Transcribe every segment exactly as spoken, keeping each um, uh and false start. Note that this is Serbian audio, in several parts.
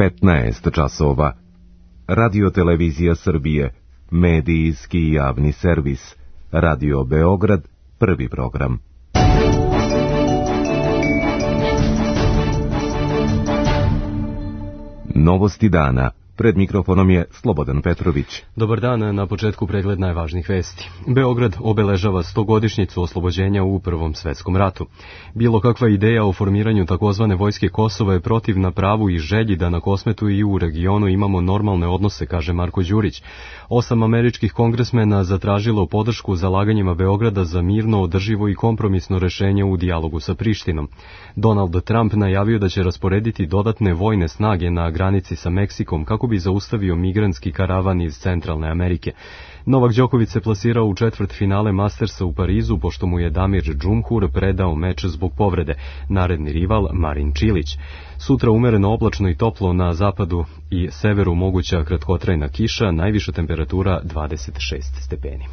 petnaest časova. Radio Televizija Srbije, medijski javni servis. Radio Beograd, prvi program. Novosti dana. Pred mikrofonom je Slobodan Petrović. Dobar dan, na početku pregled najvažnijih vesti. Beograd obeležava stogodišnjicu oslobođenja u Prvom svetskom ratu. Bilo kakva ideja o formiranju takozvane vojske Kosova je protivna pravu i želji da na Kosmetu i u regionu imamo normalne odnose, kaže Marko Đurić. Osam američkih kongresmena zatražilo podršku zalaganjima Beograda za mirno, održivo i kompromisno rešenje u dijalogu sa Prištinom. Donald Trump najavio da će rasporediti dodatne vojne snage na granici sa Meksikom kako bi zaustavio migrantski karavan iz Centralne Amerike. Novak Đoković se plasirao u četvrt finale Mastersa u Parizu, pošto mu je Damir Džumhur predao meč zbog povrede. Naredni rival Marin Čilić. Sutra umereno oblačno i toplo, na zapadu i severu moguća kratkotrajna kiša, najviša temperatura dvadeset šest stepeni.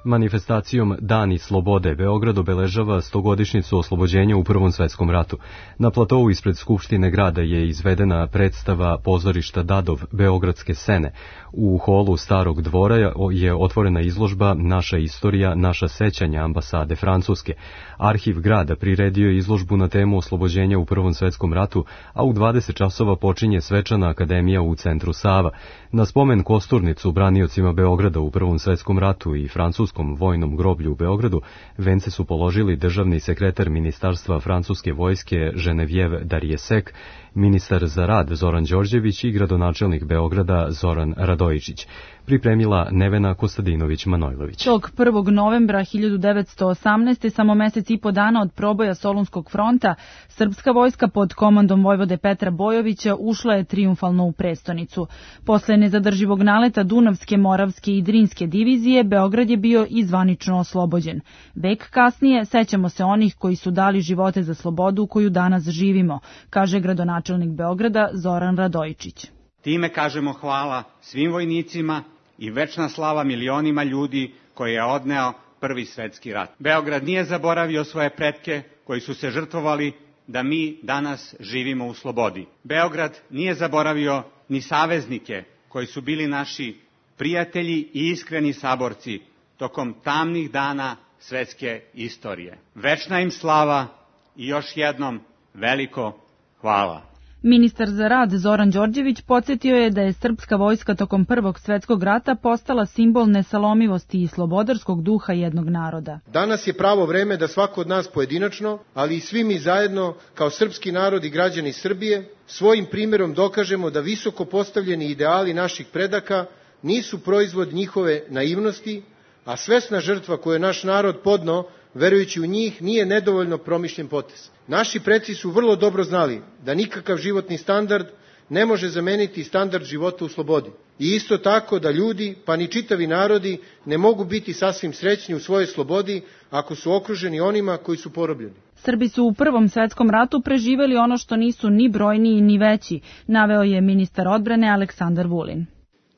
Manifestacijom Dani slobode Beograd obeležava stogodišnjicu oslobođenja u Prvom svetskom ratu. Na platovu ispred Skupštine grada je izvedena predstava pozorišta Dadov Beogradske sene. U holu Starog dvora je otvorena izložba Naša istorija, naša sećanja ambasade Francuske. Arhiv grada priredio je izložbu na temu oslobođenja u Prvom svetskom ratu, a u dvadeset časova počinje svečana akademija u centru Sava. Na spomen kosturnicu braniocima Beograda u Prvom svetskom ratu i francuskom vojnom groblju u Beogradu vence su položili državni sekretar Ministarstva francuske vojske Genevieve Darrieussecq, ministar za rad Zoran Đorđević i gradonačelnik Beograda Zoran Radojičić. Pripremila Nevena Kostadinović-Manojlović. Tog prvog novembra hiljadu devetsto osamnaeste. samo mesec i po dana od proboja Solunskog fronta, srpska vojska pod komandom vojvode Petra Bojovića ušla je trijumfalno u prestonicu. Posle nezadrživog naleta Dunavske, Moravske i Drinske divizije, Beograd je bio i zvanično oslobođen. Vek kasnije sećamo se onih koji su dali živote za slobodu koju danas živimo, kaže gradonačelnik Beograda Zoran Radojičić. Time kažemo hvala svim vojnicima i večna slava milionima ljudi koje je odneo Prvi svetski rat. Beograd nije zaboravio svoje pretke koji su se žrtvovali da mi danas živimo u slobodi. Beograd nije zaboravio ni saveznike koji su bili naši prijatelji i iskreni saborci tokom tamnih dana svetske istorije. Večna im slava i još jednom veliko hvala. Ministar za rad Zoran Đorđević podsjetio je da je srpska vojska tokom Prvog svetskog rata postala simbol nesalomivosti i slobodarskog duha jednog naroda. Danas je pravo vreme da svako od nas pojedinačno, ali i svi mi zajedno kao srpski narod i građani Srbije, svojim primjerom dokažemo da visoko postavljeni ideali naših predaka nisu proizvod njihove naivnosti, a svesna žrtva koju je naš narod podneo verujući u njih nije nedovoljno promišljen potez. Naši preci su vrlo dobro znali da nikakav životni standard ne može zameniti standard života u slobodi. I isto tako da ljudi, pa ni čitavi narodi, ne mogu biti sasvim srećni u svojoj slobodi ako su okruženi onima koji su porobljeni. Srbi su u Prvom svetskom ratu preživeli ono što nisu ni brojniji ni veći, naveo je ministar odbrane Aleksandar Vulin.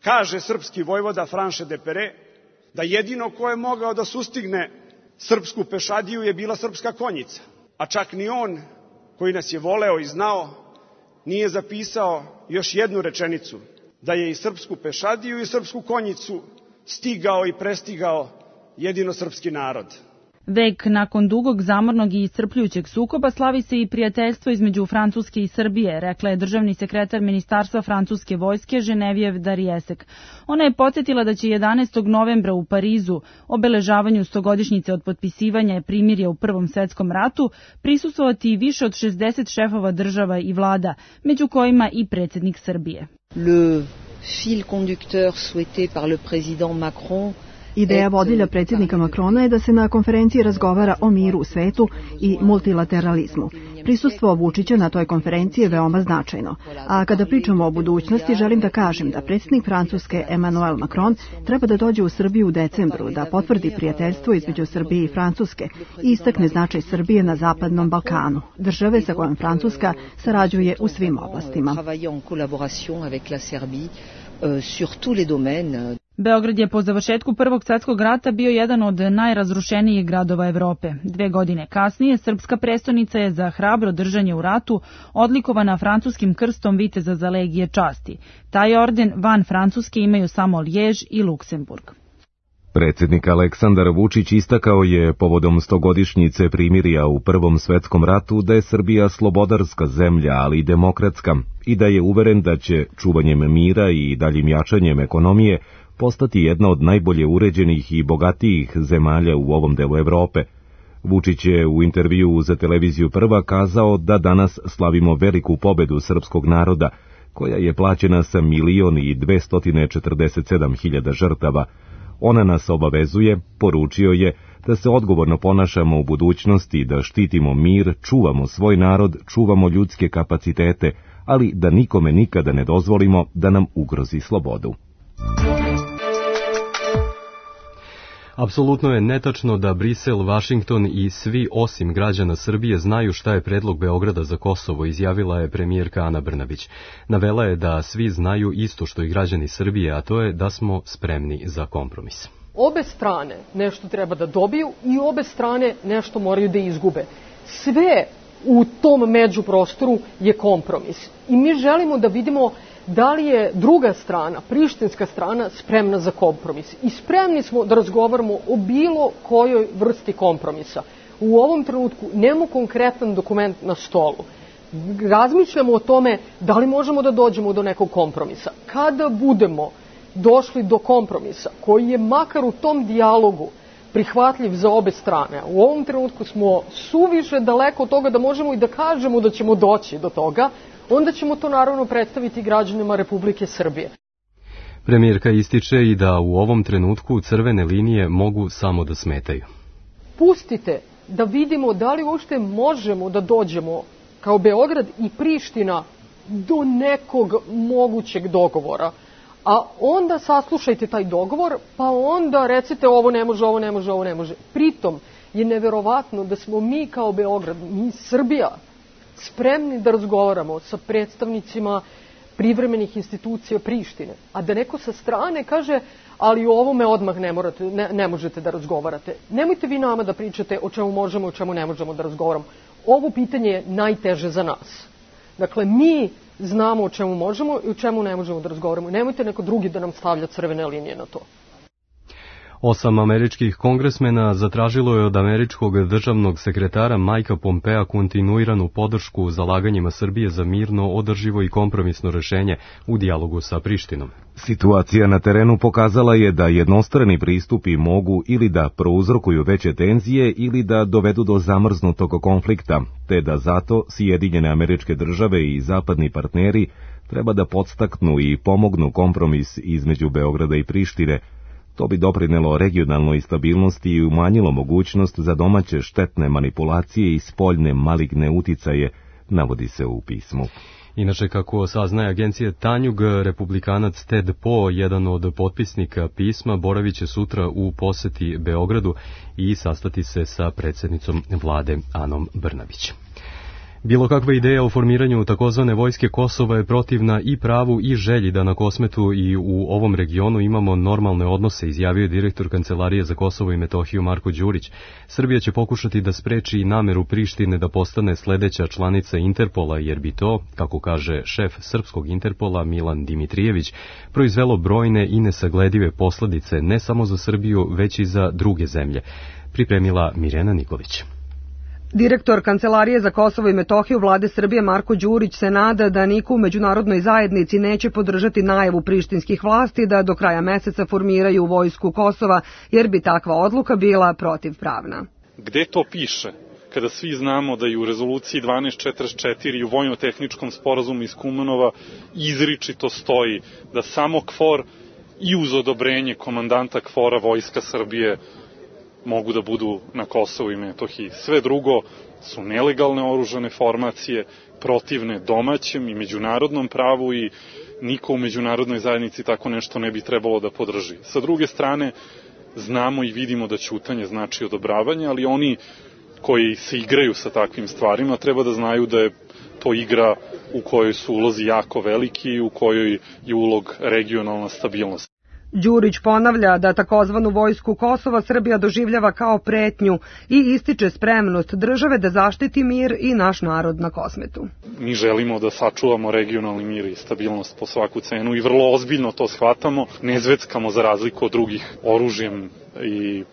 Kaže srpski vojvoda Franše de Pere da jedino ko je mogao da sustigne srpsku pešadiju je bila srpska konjica. A čak ni on, koji nas je voleo i znao, nije zapisao još jednu rečenicu, da je i srpsku pešadiju i srpsku konjicu stigao i prestigao jedino srpski narod. Vek nakon dugog, zamornog i iscrpljujućeg sukoba slavi se i prijateljstvo između Francuske i Srbije, rekla je državni sekretar Ministarstva francuske vojske Genevieve Darrieussecq. Ona je podsjetila da će jedanaestog novembra u Parizu, obeležavanju stogodišnjice od potpisivanja primirja u Prvom svetskom ratu, prisustvovati više od šezdeset šefova država i vlada, među kojima i predsjednik Srbije. Le fil conducteur souhaité par le président Macron. Ideja vodilja predsjednika Macrona je da se na konferenciji razgovara o miru u svetu i multilateralizmu. Prisustvo Vučića na toj konferenciji je veoma značajno. A kada pričamo o budućnosti, želim da kažem da predsjednik Francuske Emmanuel Macron treba da dođe u Srbiju u decembru, da potvrdi prijateljstvo između Srbije i Francuske i istakne značaj Srbije na Zapadnom Balkanu, države sa kojom Francuska sarađuje u svim oblastima. Beograd je po završetku Prvog svjetskog rata bio jedan od najrazrušenijih gradova Evrope. Dve godine kasnije srpska prestonica je za hrabro držanje u ratu odlikovana francuskim krstom viteza za legije časti. Taj orden van Francuske imaju samo Lijež i Luksemburg. Predsjednik Aleksandar Vučić istakao je povodom stogodišnjice primirja u Prvom svetskom ratu da je Srbija slobodarska zemlja, ali i demokratska, i da je uveren da će čuvanjem mira i daljim jačanjem ekonomije postati jedna od najbolje uređenih i bogatijih zemalja u ovom delu Evrope. Vučić je u intervjuu za televiziju Prva kazao da danas slavimo veliku pobedu srpskog naroda, koja je plaćena sa milion i dvestotine četrdeset sedam hiljada žrtava. Ona nas obavezuje, poručio je, da se odgovorno ponašamo u budućnosti, da štitimo mir, čuvamo svoj narod, čuvamo ljudske kapacitete, ali da nikome nikada ne dozvolimo da nam ugrozi slobodu. Apsolutno je netačno da Brisel, Vašington i svi osim građana Srbije znaju šta je predlog Beograda za Kosovo, izjavila je premijerka Ana Brnabić. Navela je da svi znaju isto što i građani Srbije, a to je da smo spremni za kompromis. Obe strane nešto treba da dobiju i obe strane nešto moraju da izgube. Sve u tom međuprostoru je kompromis. I mi želimo da vidimo da li je druga strana, prištinska strana, spremna za kompromis. I spremni smo da razgovaramo o bilo kojoj vrsti kompromisa. U ovom trenutku nemamo konkretan dokument na stolu. Razmišljamo o tome da li možemo da dođemo do nekog kompromisa. Kada budemo došli do kompromisa, koji je makar u tom dijalogu prihvatljiv za obe strane, u ovom trenutku smo suviše daleko od toga da možemo i da kažemo da ćemo doći do toga, onda ćemo to naravno predstaviti građanima Republike Srbije. Premijerka ističe i da u ovom trenutku crvene linije mogu samo da smetaju. Pustite da vidimo da li uopšte možemo da dođemo kao Beograd i Priština do nekog mogućeg dogovora. A onda saslušajte taj dogovor, pa onda recite ovo ne može, ovo ne može, ovo ne može. Pritom je neverovatno da smo mi kao Beograd, mi Srbija, spremni da razgovaramo sa predstavnicima privremenih institucija Prištine, a da neko sa strane kaže, ali o ovome odmah ne, morate, ne, ne možete da razgovarate. Nemojte vi nama da pričate o čemu možemo i o čemu ne možemo da razgovaramo. Ovo pitanje je najteže za nas. Dakle, mi znamo o čemu možemo i o čemu ne možemo da razgovaramo. Nemojte neko drugi da nam stavlja crvene linije na to. Osam američkih kongresmena zatražilo je od američkog državnog sekretara Majka Pompea kontinuiranu podršku zalaganjima Srbije za mirno, održivo i kompromisno rešenje u dijalogu sa Prištinom. Situacija na terenu pokazala je da jednostrani pristupi mogu ili da prouzrokuju veće tenzije ili da dovedu do zamrznutog konflikta, te da zato Sjedinjene Američke Države i zapadni partneri treba da podstaknu i pomognu kompromis između Beograda i Prištine. To bi doprinelo regionalnoj stabilnosti i umanjilo mogućnost za domaće štetne manipulacije i spoljne maligne uticaje, navodi se u pismu. Inače, kako saznaje agencija Tanjug, republikanac Ted Poe, jedan od potpisnika pisma, boravit će sutra u poseti Beogradu i sastati se sa predsjednicom vlade Anom Brnabić. Bilo kakva ideja o formiranju takozvane vojske Kosova je protivna i pravu i želji da na Kosmetu i u ovom regionu imamo normalne odnose, izjavio je direktor Kancelarije za Kosovo i Metohiju Marko Đurić. Srbija će pokušati da spreči nameru Prištine da postane sledeća članica Interpola, jer bi to, kako kaže šef srpskog Interpola Milan Dimitrijević, proizvelo brojne i nesagledive posledice ne samo za Srbiju, već i za druge zemlje. Pripremila Mirjana Nikolić. Direktor Kancelarije za Kosovo i Metohiju vlade Srbije Marko Đurić se nada da niko u međunarodnoj zajednici neće podržati najavu prištinskih vlasti da do kraja meseca formiraju vojsku Kosova, jer bi takva odluka bila protivpravna. Gde to piše? Kada svi znamo da i u rezoluciji dvanaest četrdeset četiri i u vojno-tehničkom sporazumu iz Kumanova izričito stoji da samo KFOR i uz odobrenje komandanta KFOR-a Vojska Srbije mogu da budu na Kosovu i Metohiji. Sve drugo su nelegalne oružane formacije, protivne domaćem i međunarodnom pravu i niko u međunarodnoj zajednici tako nešto ne bi trebalo da podrži. Sa druge strane, znamo i vidimo da ćutanje znači odobravanje, ali oni koji se igraju sa takvim stvarima treba da znaju da je to igra u kojoj su ulozi jako veliki i u kojoj je ulog regionalna stabilnost. Đurić ponavlja da takozvanu vojsku Kosova Srbija doživljava kao pretnju i ističe spremnost države da zaštiti mir i naš narod na Kosmetu. Mi želimo da sačuvamo regionalni mir i stabilnost po svaku cenu i vrlo ozbiljno to shvatamo. Ne zveckamo za razliku od drugih oružjem i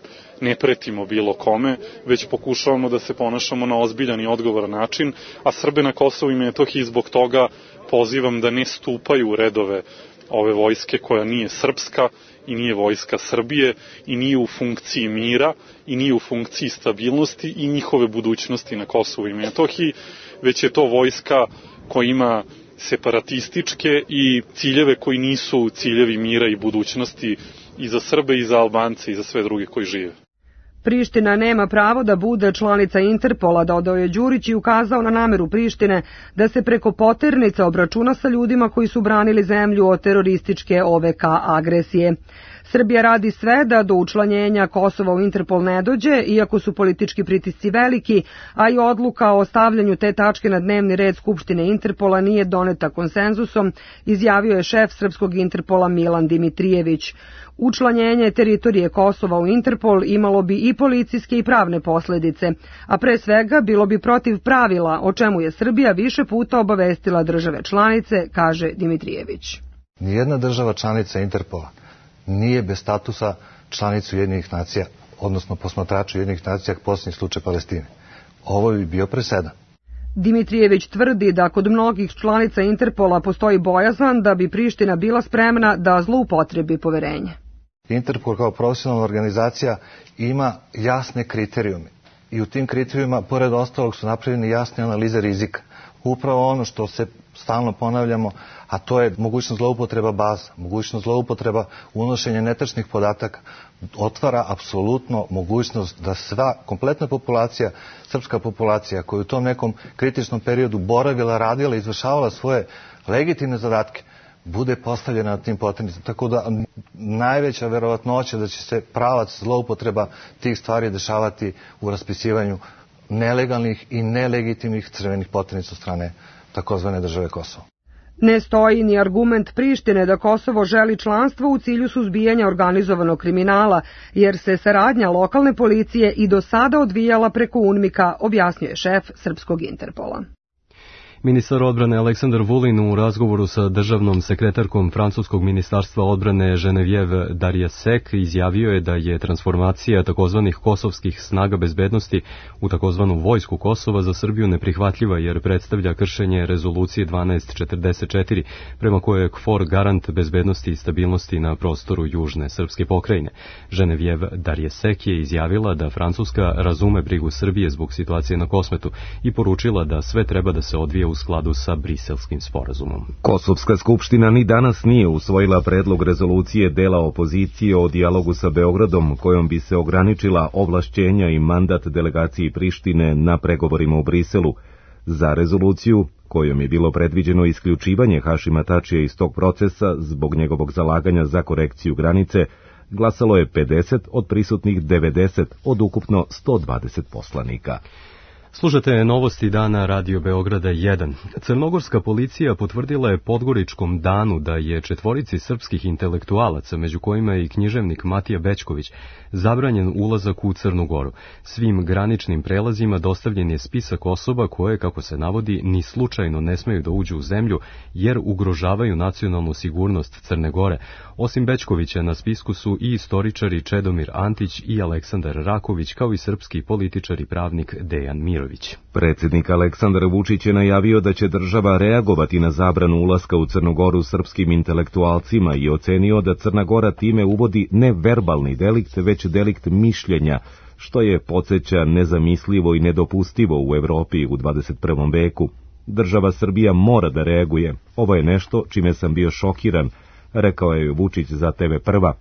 ne pretimo bilo kome, već pokušavamo da se ponašamo na ozbiljan i odgovoran način, a Srbe na Kosovu i Metohiji zbog toga pozivam da ne stupaju u redove ove vojske koja nije srpska i nije vojska Srbije i nije u funkciji mira i nije u funkciji stabilnosti i njihove budućnosti na Kosovu i Metohiji, već je to vojska koja ima separatističke i ciljeve koji nisu ciljevi mira i budućnosti i za Srbe i za Albance i za sve druge koji žive. Priština nema pravo da bude članica Interpola, dodao je Đurić i ukazao na nameru Prištine da se preko poternica obračuna sa ljudima koji su branili zemlju od terorističke O V K agresije. Srbija radi sve da do učlanjenja Kosova u Interpol ne dođe, iako su politički pritisci veliki, a i odluka o stavljanju te tačke na dnevni red Skupštine Interpola nije doneta konsenzusom, izjavio je šef srpskog Interpola Milan Dimitrijević. Učlanjenje teritorije Kosova u Interpol imalo bi i policijske i pravne posledice, a pre svega bilo bi protiv pravila, o čemu je Srbija više puta obavestila države članice, kaže Dimitrijević. Nijedna država članica Interpola nije bez statusa članicu Ujedinjenih nacija, odnosno posmatrača Ujedinjenih nacija, posljednji slučaj Palestine. Ovo bi bio presedan. Dimitrijević tvrdi da kod mnogih članica Interpola postoji bojazan da bi Priština bila spremna da zloupotrebi poverenje. Interpol kao profesionalna organizacija ima jasne kriterijume i u tim kriterijuma, pored ostalog, su napravljene jasne analize rizika. Upravo ono što se stalno ponavljamo, a to je mogućnost zloupotreba baza, mogućnost zloupotreba unošenja netačnih podataka, otvara apsolutno mogućnost da sva kompletna populacija, srpska populacija koja u tom nekom kritičnom periodu boravila, radila, izvršavala svoje legitimne zadatke, bude postavljena na tim poternicama. Tako da najveća verovatnoća da će se pravac zloupotreba tih stvari dešavati u raspisivanju nelegalnih i nelegitimnih crvenih poternica od strane takozvane države Kosovo. Ne stoji ni argument Prištine da Kosovo želi članstvo u cilju suzbijanja organizovanog kriminala, jer se saradnja lokalne policije i do sada odvijala preko UNMIK-a, objasnjuje šef srpskog Interpola. Ministar odbrane Aleksandar Vulin u razgovoru sa državnom sekretarkom Francuskog ministarstva odbrane Geneviève Darrieussecq izjavio je da je transformacija takozvanih kosovskih snaga bezbednosti u takozvanu vojsku Kosova za Srbiju neprihvatljiva jer predstavlja kršenje rezolucije dvanaest četrdeset četiri prema kojoj je KFOR garant bezbednosti i stabilnosti na prostoru južne srpske pokrajine. Geneviève Darrieussecq je izjavila da Francuska razume brigu Srbije zbog situacije na Kosmetu i poručila da sve treba da se odvije u skladu sa Briselskim sporazumom. Kosovska skupština ni danas nije usvojila predlog rezolucije dela opozicije o dijalogu sa Beogradom, kojom bi se ograničila ovlašćenja i mandat delegaciji Prištine na pregovorima u Briselu. Za rezoluciju, kojom je bilo predviđeno isključivanje Hašima Tačija iz tog procesa zbog njegovog zalaganja za korekciju granice, glasalo je pedeset od prisutnih devedeset od ukupno sto dvadeset poslanika. Slušate novosti dana Radio Beograda jedan. Crnogorska policija potvrdila je Podgoričkom danu da je četvorici srpskih intelektualaca, među kojima je i književnik Matija Bećković, zabranjen ulazak u Crnu Goru. Svim graničnim prelazima dostavljen je spisak osoba koje, kako se navodi, ni slučajno ne smeju da uđu u zemlju jer ugrožavaju nacionalnu sigurnost Crne Gore. Osim Bećkovića na spisku su i istoričari Čedomir Antić i Aleksandar Raković, kao i srpski političar i pravnik Dejan Mirović. Predsjednik Aleksandar Vučić je najavio da će država reagovati na zabranu ulaska u Crnu Goru srpskim intelektualcima i ocenio da Crna Gora time uvodi ne verbalni delikt, već delikt mišljenja, što je podsjeća nezamislivo i nedopustivo u Evropi u dvadeset prvom veku. Država Srbija mora da reaguje. Ovo je nešto čime sam bio šokiran, rekao je Vučić za T V Prva.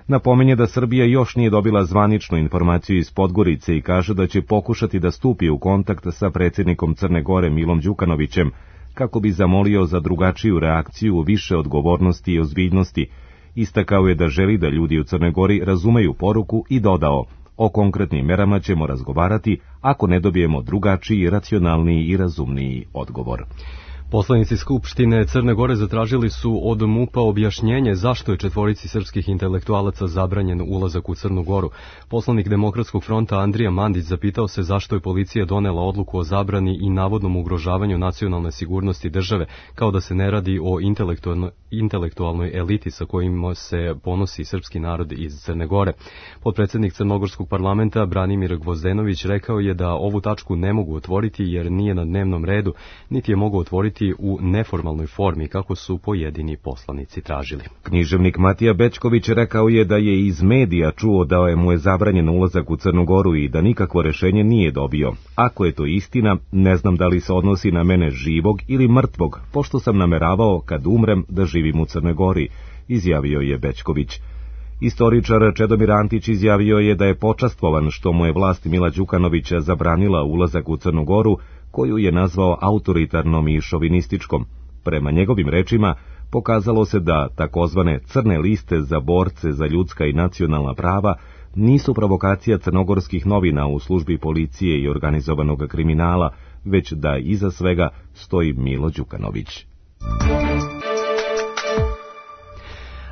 Napominje da Srbija još nije dobila zvaničnu informaciju iz Podgorice i kaže da će pokušati da stupi u kontakt sa predsjednikom Crne Gore Milom Đukanovićem, kako bi zamolio za drugačiju reakciju, više odgovornosti i ozbiljnosti. Istakao je da želi da ljudi u Crnoj Gori razumeju poruku i dodao: o konkretnim merama ćemo razgovarati ako ne dobijemo drugačiji, racionalniji i razumniji odgovor. Poslanici Skupštine Crne Gore zatražili su od MUP-a objašnjenje zašto je četvorici srpskih intelektualaca zabranjen ulazak u Crnu Goru. Poslanik Demokratskog fronta Andrija Mandić zapitao se zašto je policija donela odluku o zabrani i navodnom ugrožavanju nacionalne sigurnosti države, kao da se ne radi o intelektualnoj, intelektualnoj eliti sa kojim se ponosi srpski narod iz Crne Gore. Potpredsednik Crnogorskog parlamenta Branimir Gvozdenović rekao je da ovu tačku ne mogu otvoriti jer nije na dnevnom redu, niti je mogu otvoriti u neformalnoj formi kako su pojedini poslanici tražili. Književnik Matija Bećković rekao je da je iz medija čuo da je mu je zabranjen ulazak u Crnu Goru i da nikakvo rešenje nije dobio. Ako je to istina, ne znam da li se odnosi na mene živog ili mrtvog, pošto sam nameravao kad umrem da živim u Crnoj Gori, izjavio je Bećković. Istoričar Čedomir Antić izjavio je da je počastvovan što mu je vlast Mila Đukanovića zabranila ulazak u Crnu Goru, koju je nazvao autoritarnom i šovinističkom. Prema njegovim rečima, pokazalo se da takozvane crne liste za borce za ljudska i nacionalna prava nisu provokacija crnogorskih novina u službi policije i organizovanog kriminala, već da iza svega stoji Milo Đukanović.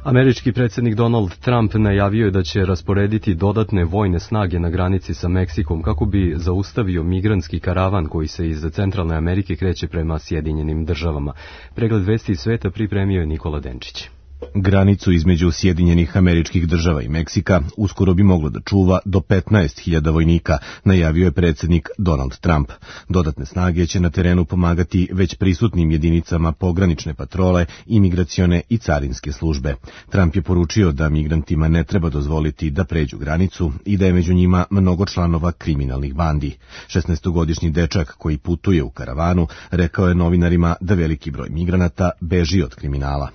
Američki predsjednik Donald Trump najavio je da će rasporediti dodatne vojne snage na granici sa Meksikom kako bi zaustavio migrantski karavan koji se iz Centralne Amerike kreće prema Sjedinjenim državama. Pregled vesti iz sveta pripremio je Nikola Denčić. Granicu između Sjedinjenih Američkih Država i Meksika uskoro bi moglo da čuva do petnaest hiljada vojnika, najavio je predsjednik Donald Trump. Dodatne snage će na terenu pomagati već prisutnim jedinicama pogranične patrole, imigracione i carinske službe. Trump je poručio da migrantima ne treba dozvoliti da pređu granicu i da je među njima mnogo članova kriminalnih bandi. šesnaestogodišnji dečak koji putuje u karavanu rekao je novinarima da veliki broj migranata beži od kriminala.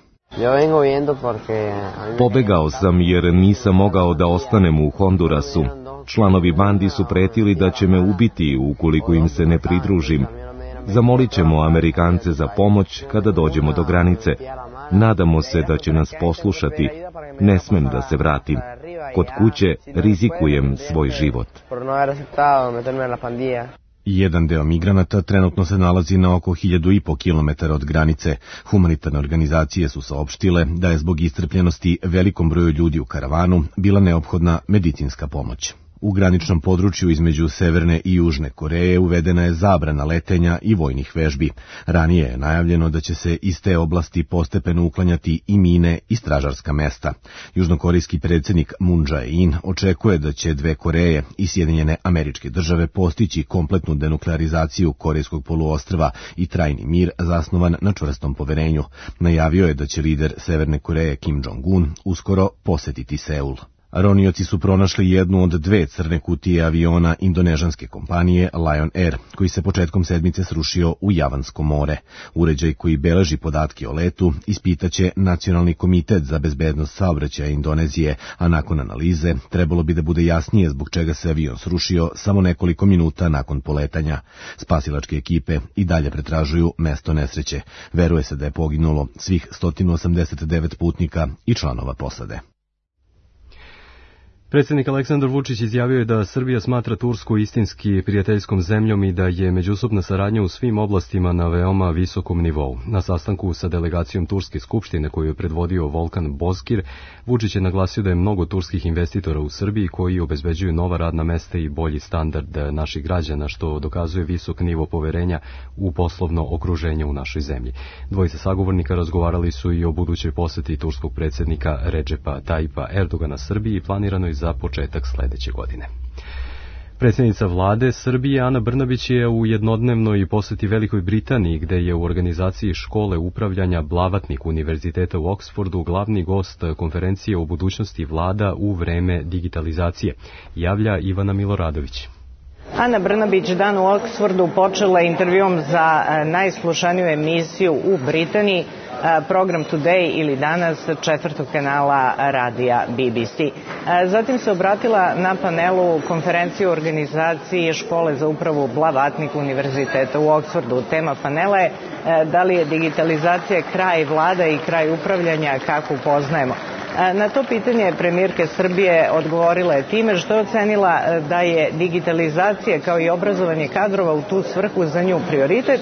Pobegao sam jer nisam mogao da ostanem u Hondurasu. Članovi bandi su pretili da će me ubiti ukoliko im se ne pridružim. Zamolit ćemo Amerikance za pomoć kada dođemo do granice. Nadamo se da će nas poslušati. Ne smem da se vratim. Kod kuće rizikujem svoj život. Jedan deo migranata trenutno se nalazi na oko hiljadu i po kilometara od granice. Humanitarne organizacije su saopštile da je zbog iscrpljenosti velikom broju ljudi u karavanu bila neophodna medicinska pomoć. U graničnom području između Severne i Južne Koreje uvedena je zabrana letenja i vojnih vežbi. Ranije je najavljeno da će se iz te oblasti postepeno uklanjati i mine i stražarska mesta. Južnokorejski predsjednik Moon Jae-in očekuje da će dve Koreje i Sjedinjene Američke Države postići kompletnu denuklearizaciju Korejskog poluostrva i trajni mir zasnovan na čvrstom poverenju. Najavio je da će lider Severne Koreje Kim Jong-un uskoro posetiti Seul. Ronioci su pronašli jednu od dve crne kutije aviona indonežanske kompanije Lion Air, koji se početkom sedmice srušio u Javansko more. Uređaj koji beleži podatke o letu ispitaće Nacionalni komitet za bezbednost saobraćaja Indonezije, a nakon analize trebalo bi da bude jasnije zbog čega se avion srušio samo nekoliko minuta nakon poletanja. Spasilačke ekipe i dalje pretražuju mesto nesreće. Veruje se da je poginulo svih sto osamdeset devet putnika i članova posade. Predsjednik Aleksandar Vučić izjavio je da Srbija smatra Tursku istinski prijateljskom zemljom i da je međusobna saradnja u svim oblastima na veoma visokom nivou. Na sastanku sa delegacijom Turske skupštine koju je predvodio Volkan Bozkir, Vučić je naglasio da je mnogo turskih investitora u Srbiji koji obezbeđuju nova radna mesta i bolji standard naših građana, što dokazuje visok nivo poverenja u poslovno okruženje u našoj zemlji. Dvojica sagovornika razgovarali su i o budućoj poseti turskog predsjednika Redžepa Tajipa Erdogana Srbiji i planiranoj za početak sledeće godine. Predsjednica vlade Srbije Ana Brnabić je u jednodnevnoj poseti Velikoj Britaniji, gde je u organizaciji škole upravljanja Blavatnik Univerziteta u Oksfordu glavni gost konferencije o budućnosti vlada u vreme digitalizacije, javlja Ivana Miloradović. Ana Brnabić dan u Oksfordu počela intervjuom za najslušaniju emisiju u Britaniji, program Today ili Danas četvrtog kanala radija B B C. Zatim se obratila na panelu konferencije u organizaciji škole za upravu Blavatnik Univerziteta u Oksfordu. Tema panela je da li je digitalizacija kraj vlada i kraj upravljanja kako poznajemo. Na to pitanje premijerka Srbije odgovorila je time što je ocenila da je digitalizacija kao i obrazovanje kadrova u tu svrhu za nju prioritet,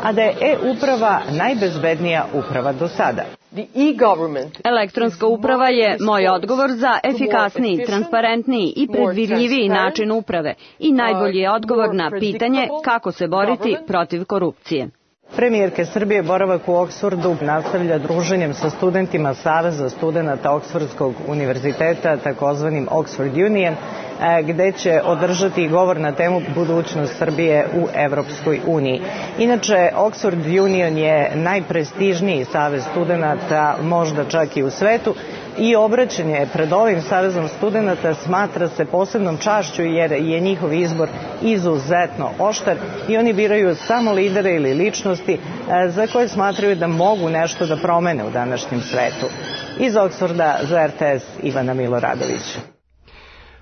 a da je e-uprava najbezbednija uprava do sada. Elektronska uprava je moj odgovor za efikasniji, transparentniji i predvidljiviji način uprave i najbolji je odgovor na pitanje kako se boriti protiv korupcije. Premijerke Srbije boravak u Oksfordu nastavlja druženjem sa studentima Saveza studenata Oksfordskog univerziteta, takozvanim Oxford Union, gde će održati govor na temu budućnost Srbije u Evropskoj uniji. Inače, Oxford Union je najprestižniji savez studenata, možda čak i u svetu, i obraćanje pred ovim savezom studenata smatra se posebnom čašću jer je njihov izbor izuzetno oštar i oni biraju samo lidere ili ličnosti za koje smatraju da mogu nešto da promene u današnjem svetu. Iz Oksforda za R T S Ivana Miloradović.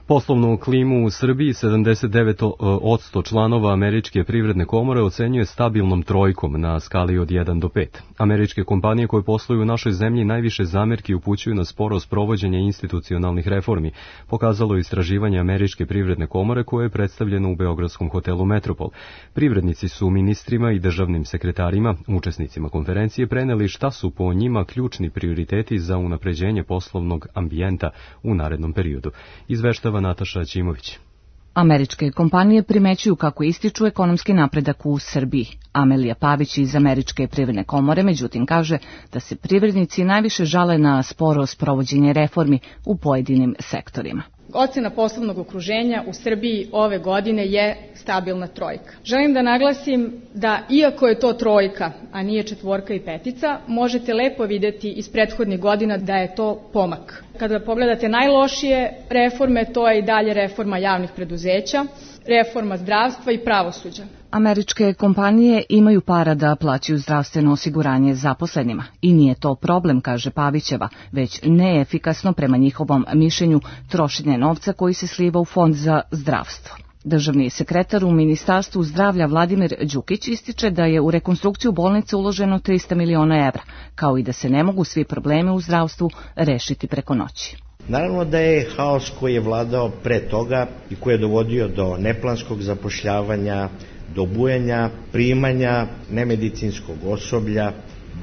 Poslovnu klimu u Srbiji sedamdeset devet posto članova Američke privredne komore ocenjuje stabilnom trojkom na skali od jedan do pet. Američke kompanije koje posluju u našoj zemlji najviše zamerki upućuju na sporo sprovođenje institucionalnih reformi, pokazalo istraživanje Američke privredne komore koje je predstavljeno u beogradskom hotelu Metropol. Privrednici su ministrima i državnim sekretarima, učesnicima konferencije, preneli šta su po njima ključni prioriteti za unapređenje poslovnog ambijenta u narednom periodu. Izveštava Nataša Ćimović. Američke kompanije primećuju kako ističu ekonomski napredak u Srbiji. Amelija Pavić iz Američke privredne komore međutim kaže da se privrednici najviše žale na sporo sprovođenje reformi u pojedinim sektorima. Ocena poslovnog okruženja u Srbiji ove godine je stabilna trojka. Želim da naglasim da iako je to trojka, a nije četvorka i petica, možete lepo videti iz prethodnih godina da je to pomak. Kada pogledate najlošije reforme, to je i dalje reforma javnih preduzeća, reforma zdravstva i pravosuđa. Američke kompanije imaju para da plaćaju zdravstveno osiguranje zaposlenima i nije to problem, kaže Pavićeva, već neefikasno prema njihovom mišljenju trošenje novca koji se sliva u fond za zdravstvo. Državni sekretar u Ministarstvu zdravlja Vladimir Đukić ističe da je u rekonstrukciju bolnice uloženo trista miliona evra, kao i da se ne mogu svi problemi u zdravstvu rešiti preko noći. Naravno da je haos koji je vladao pre toga i koji je dovodio do neplanskog zapošljavanja, do bujanja primanja nemedicinskog osoblja,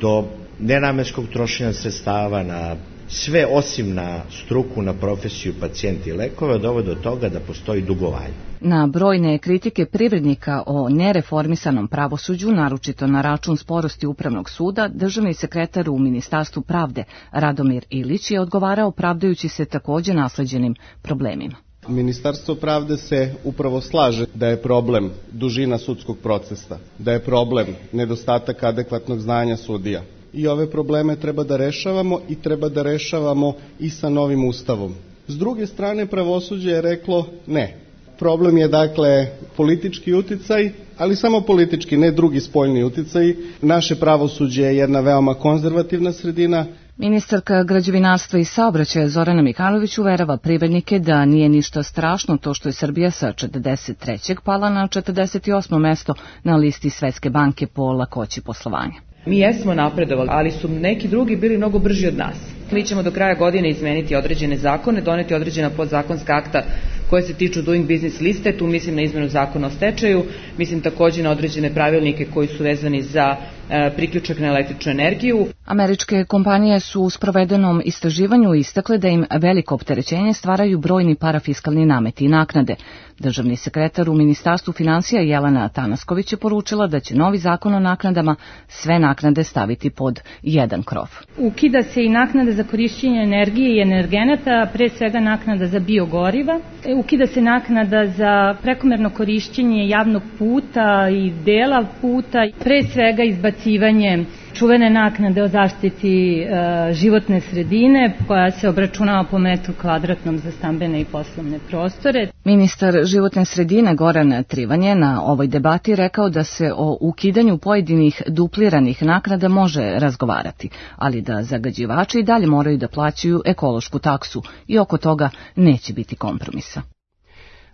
do nenamenskog trošenja sredstava na sve osim na struku, na profesiju, pacijenti i lekove, dovode do toga da postoji dugovanje. Na brojne kritike privrednika o nereformisanom pravosuđu, naročito na račun sporosti Upravnog suda, državni sekretar u Ministarstvu pravde Radomir Ilić je odgovarao pravdajući se takođe nasleđenim problemima. Ministarstvo pravde se upravo slaže da je problem dužina sudskog procesa, da je problem nedostatak adekvatnog znanja sudija. I ove probleme treba da rešavamo i treba da rešavamo i sa novim ustavom. S druge strane, pravosuđe je reklo ne. Problem je dakle politički uticaj, ali samo politički, ne drugi spoljni uticaj. Naše pravosuđe je jedna veoma konzervativna sredina. Ministarka građevinarstva i saobraćaja Zorana Mihajlović uverava privrednike da nije ništa strašno to što je Srbija sa četrdeset trećeg pala na četrdeset osmo mesto na listi Svetske banke po lakoći poslovanja. Mi jesmo napredovali, ali su neki drugi bili mnogo brži od nas. Mi ćemo do kraja godine izmeniti određene zakone, doneti određena podzakonska akta koje se tiču doing business liste, tu mislim na izmenu zakona o stečaju, mislim takođe na određene pravilnike koji su vezani za e, priključak na električnu energiju. Američke kompanije su u sprovedenom istraživanju istakle da im veliko opterećenje stvaraju brojni parafiskalni nameti i naknade. Državni sekretar u Ministarstvu finansija Jelena Tanasković je poručila da će novi zakon o naknadama sve naknade staviti pod jedan krov. Ukida se i naknada za korišćenje energije i energenata, pre svega naknada za biogoriva. Ukida se naknada za prekomerno korišćenje javnog puta i dela puta, pre svega izbacivanje čuvene naknade o zaštiti e, životne sredine koja se obračunava po metru kvadratnom za stambene i poslovne prostore. Ministar životne sredine Goran Trivan je na ovoj debati rekao da se o ukidanju pojedinih dupliranih naknada može razgovarati, ali da zagađivači i dalje moraju da plaćaju ekološku taksu i oko toga neće biti kompromisa.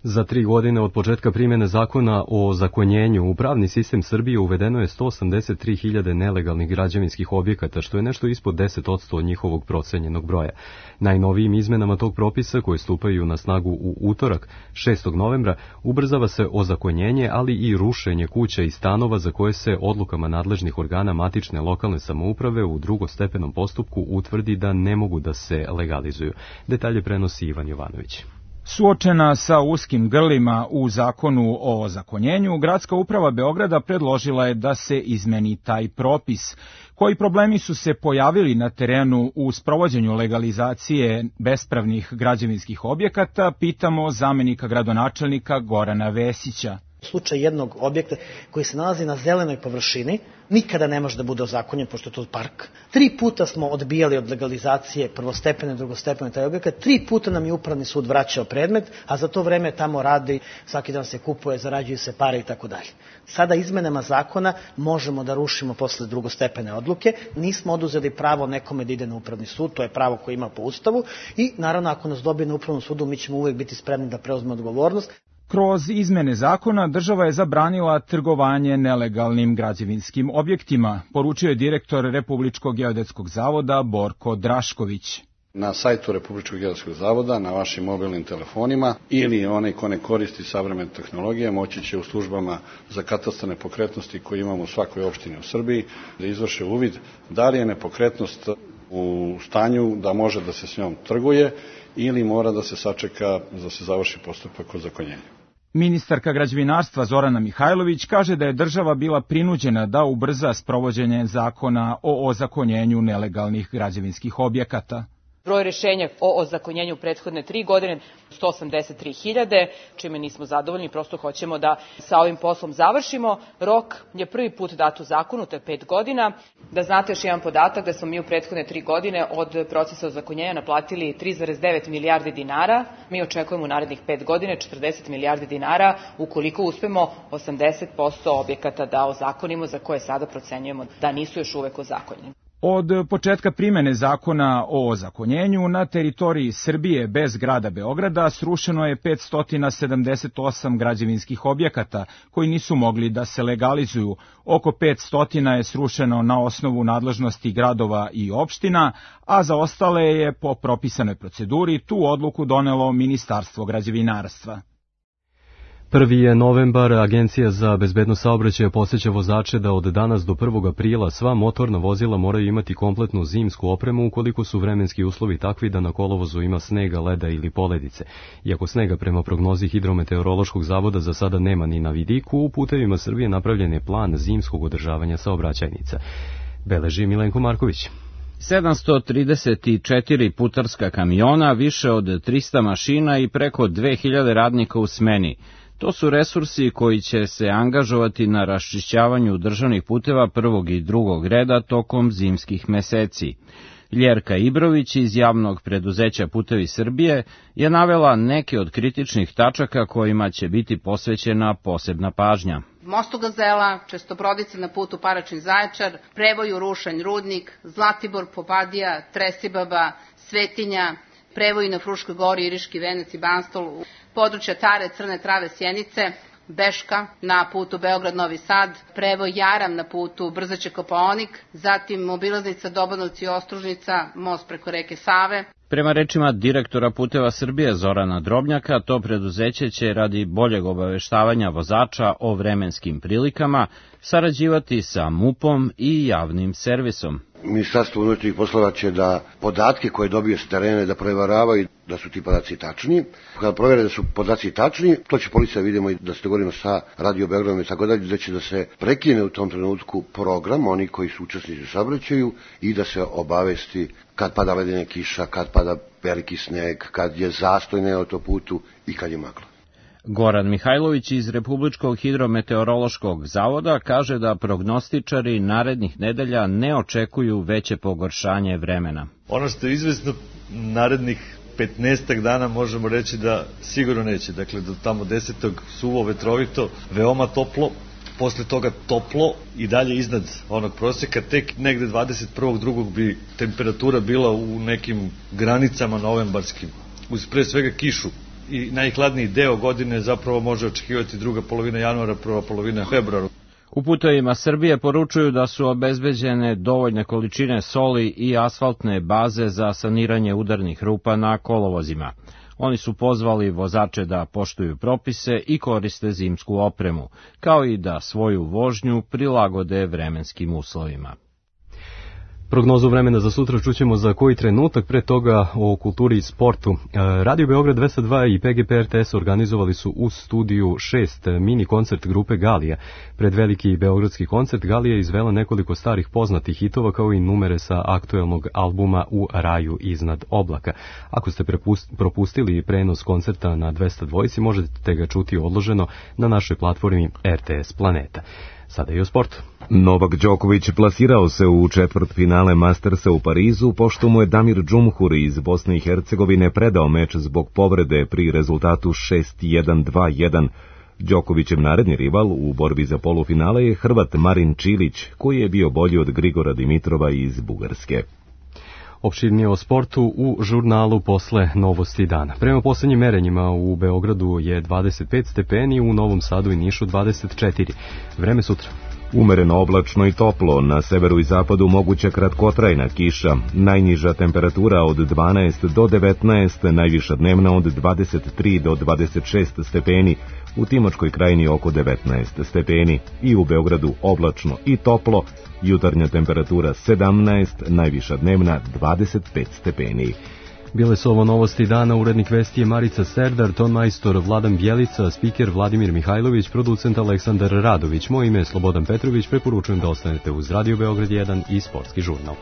Za tri godine od početka primjene zakona o zakonjenju u pravni sistem Srbije uvedeno je sto osamdeset tri hiljade nelegalnih građevinskih objekata, što je nešto ispod deset posto od njihovog procenjenog broja. Najnovijim izmenama tog propisa, koje stupaju na snagu u utorak, šestog novembra, ubrzava se ozakonjenje, ali i rušenje kuća i stanova za koje se odlukama nadležnih organa matične lokalne samouprave u drugostepenom postupku utvrdi da ne mogu da se legalizuju. Detalje prenosi Ivan Jovanović. Suočena sa uskim grlima u zakonu o ozakonjenju, Gradska uprava Beograda predložila je da se izmeni taj propis. Koji problemi su se pojavili na terenu u sprovođenju legalizacije bespravnih građevinskih objekata, pitamo zamenika gradonačelnika Gorana Vesića. U slučaju jednog objekta koji se nalazi na zelenoj površini, nikada ne može da bude ozakonjen, pošto je to park. Tri puta smo odbijali od legalizacije prvostepene, drugostepene taj objekat, tri puta nam je upravni sud vraćao predmet, a za to vreme tamo radi, svaki dan se kupuje, zarađuju se pare i tako dalje. Sada izmenama zakona možemo da rušimo posle drugostepene odluke, nismo oduzeli pravo nekome da ide na upravni sud, to je pravo koje ima po Ustavu i naravno ako nas dobije na upravnom sudu mi ćemo uvek biti spremni da preuzme odgovornost. Kroz izmene zakona država je zabranila trgovanje nelegalnim građevinskim objektima, poručio je direktor Republičkog geodetskog zavoda Borko Drašković. Na sajtu Republičkog geodetskog zavoda, na vašim mobilnim telefonima ili onaj ko ne koristi savremene tehnologije moći će u službama za katastar nepokretnosti koje imamo u svakoj opštini u Srbiji da izvrše uvid da li je nepokretnost u stanju da može da se s njom trguje ili mora da se sačeka da se završi postupak ozakonjenja. Ministarka građevinarstva Zorana Mihajlović kaže da je država bila prinuđena da ubrza sprovođenje zakona o ozakonjenju nelegalnih građevinskih objekata. Broj rešenja o ozakonjenju prethodne tri godine sto osamdeset tri hiljade, čime nismo zadovoljni, prosto hoćemo da sa ovim poslom završimo. Rok je prvi put dat u zakonu, to je pet godina. Da znate još jedan podatak da smo mi u prethodne tri godine od procesa ozakonjenja naplatili tri zarez devet milijardi dinara. Mi očekujemo u narednih pet godine četrdeset milijardi dinara ukoliko uspemo osamdeset posto objekata da ozakonimo za koje sada procenjujemo da nisu još uvek ozakonjeni. Od početka primene zakona o ozakonjenju na teritoriji Srbije bez grada Beograda srušeno je petsto sedamdeset osam građevinskih objekata koji nisu mogli da se legalizuju. Oko petsto je srušeno na osnovu nadležnosti gradova i opština, a za ostale je po propisanoj proceduri tu odluku donelo Ministarstvo građevinarstva. Prvi je novembar, Agencija za bezbednost saobraćaja podseća vozače da od danas do prvog aprila sva motorna vozila moraju imati kompletnu zimsku opremu ukoliko su vremenski uslovi takvi da na kolovozu ima snega, leda ili poledice. Iako snega prema prognozi Hidrometeorološkog zavoda za sada nema ni na vidiku, u putevima Srbije napravljen je plan zimskog održavanja saobraćajnica. Beleži Milenko Marković. sedamsto trideset četiri putarska kamiona, više od trista mašina i preko dve hiljade radnika u smeni. To su resursi koji će se angažovati na raščišćavanju državnih puteva prvog i drugog reda tokom zimskih meseci. Ljerka Ibrović iz javnog preduzeća Putevi Srbije je navela neke od kritičnih tačaka kojima će biti posvećena posebna pažnja. Mostu Gazela, Čestobrodica na putu Paraćin-Zaječar, Prevoju Rušanj Rudnik, Zlatibor Popadija, Tresibaba, Svetinja, Prevoji na Fruškoj gori, Iriški Venac i Banstol, područja Tare, Crne Trave, Sjenice, Beška na putu Beograd-Novi Sad, Prevoj Jaram na putu Brzaće-Kopaonik, zatim obilaznica Dobanovci-Ostružnica, most preko reke Save. Prema rečima direktora Puteva Srbije Zorana Drobnjaka, to preduzeće će radi boljeg obaveštavanja vozača o vremenskim prilikama sarađivati sa MUP-om i javnim servisom. Ministarstvo unutrašnjih poslova će da podatke koje dobije s terena da proveravaju da su ti podaci tačni. Kada provere da su podaci tačni, to će policija vidimo i da se dogovorimo sa Radio Beogradom i tako dalje, da će da se prekine u tom trenutku program, oni koji su učesnici u saobraćaju i da se obavesti kad pada ledena kiša, kad pada veliki sneg, kad je zastoj na autoputu i kad je magla. Goran Mihajlović iz Republičkog hidrometeorološkog zavoda kaže da prognostičari narednih nedelja ne očekuju veće pogoršanje vremena. Ono što je izvesno, narednih petnaestak dana možemo reći da sigurno neće. Dakle, do tamo desetog suvo, vetrovito, veoma toplo, posle toga toplo i dalje iznad onog proseka, tek negde dvadeset prvog drugog bi temperatura bila u nekim granicama novembarskim, uz pre svega kišu i najhladniji deo godine zapravo može očekivati druga polovina januara, prva polovina februara. U putevima Srbije poručuju da su obezbeđene dovoljne količine soli i asfaltne baze za saniranje udarnih rupa na kolovozima. Oni su pozvali vozače da poštuju propise i koriste zimsku opremu, kao i da svoju vožnju prilagode vremenskim uslovima. Prognozu vremena za sutra čućemo za koji trenutak, pre toga o kulturi i sportu. Radio Beograd dvesta dva i P G P R T S organizovali su u studiju šest mini koncert grupe Galija. Pred veliki beogradski koncert Galija je izvela nekoliko starih poznatih hitova kao i numere sa aktuelnog albuma U raju iznad oblaka. Ako ste propustili prenos koncerta na dvesta dva, možete ga čuti odloženo na našoj platformi R T S Planeta. Sada i o sportu. Novak Đoković plasirao se u četvrtfinale Mastersa u Parizu, pošto mu je Damir Džumhur iz Bosne i Hercegovine predao meč zbog povrede pri rezultatu šest jedan dva jedan. Đokovićev naredni rival u borbi za polufinale je Hrvat Marin Čilić, koji je bio bolji od Grigora Dimitrova iz Bugarske. Opširnije o sportu u žurnalu posle novosti dana. Prema poslednjim merenjima u Beogradu je dvadeset pet stepeni, u Novom Sadu i Nišu dvadeset četiri. Vreme sutra. Umereno oblačno i toplo, na severu i zapadu moguća kratkotrajna kiša, najniža temperatura od dvanaest do devetnaest, najviša dnevna od dvadeset tri do dvadeset šest stepeni, u Timočkoj krajini oko devetnaest stepeni i u Beogradu oblačno i toplo, jutarnja temperatura sedamnaest, najviša dnevna dvadeset pet stepeni. Bile su ovo novosti dana, urednik vesti je Marica Serdar, ton majstor Vladan Bjelica, spiker Vladimir Mihajlović, producent Aleksandar Radović. Moje ime je Slobodan Petrović, preporučujem da ostanete uz Radio Beograd jedan i Sportski žurnal.